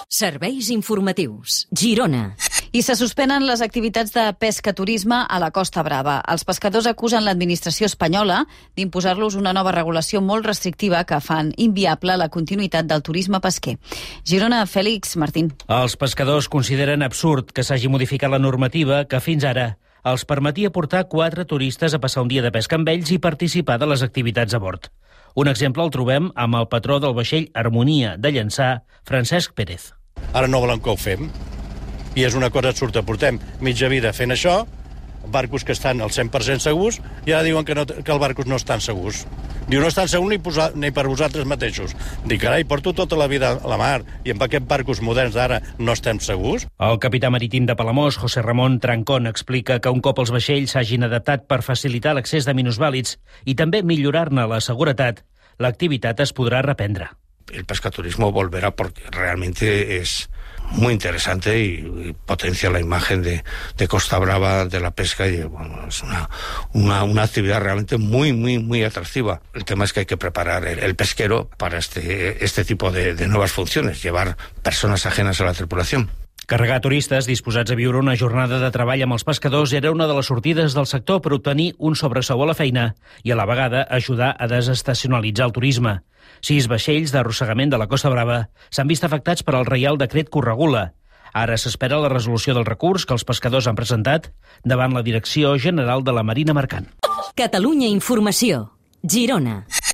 Serveis informatius. Girona. I se suspenen les activitats de pesca-turisme a la Costa Brava. Els pescadors acusen l'administració espanyola d'imposar-los una nova regulació molt restrictiva que fan inviable la continuïtat del turisme pesquer. Girona, Fèlix Martín. Els pescadors consideren absurd que s'hagi modificat la normativa que fins ara els permetia portar 4 turistes a passar un dia de pesca amb ells i participar de les activitats a bord. Un exemple el trobem amb el patró del vaixell Harmonia de Llançà, Francesc Pérez. Ara no volen que ho fem, i és una cosa absurda. Portem mitja vida fent això, barcos que estan al 100% segurs, i ara diuen que els barcos no estan segurs. Diu, no estan segurs ni per vosaltres mateixos. Dic, carai, porto tota la vida a la mar, i amb aquests barcos moderns d'ara no estem segurs? El capità marítim de Palamós, José Ramón Trancón, explica que un cop els vaixells s'hagin adaptat per facilitar l'accés de minusvàlids i també millorar-ne la seguretat, l'activitat es podrá reprendre. El pescaturismo volverá porque realmente es muy interesante y potencia la imagen de Costa Brava, de la pesca, y bueno, es una actividad realmente muy atractiva. El tema es que hay que preparar el pesquero para este tipo de nuevas funciones, llevar personas ajenas a la tripulación. Carregar turistes disposats a viure una jornada de treball amb els pescadors era una de les sortides del sector per obtenir un sobresou a la feina i a la vegada ajudar a desestacionalitzar el turisme. 6 vaixells d'arrossegament de la Costa Brava s'han vist afectats per al Reial Decret que ho regula. Ara s'espera la resolució del recurs que els pescadors han presentat davant la Direcció General de la Marina Mercant. Catalunya Informació. Girona.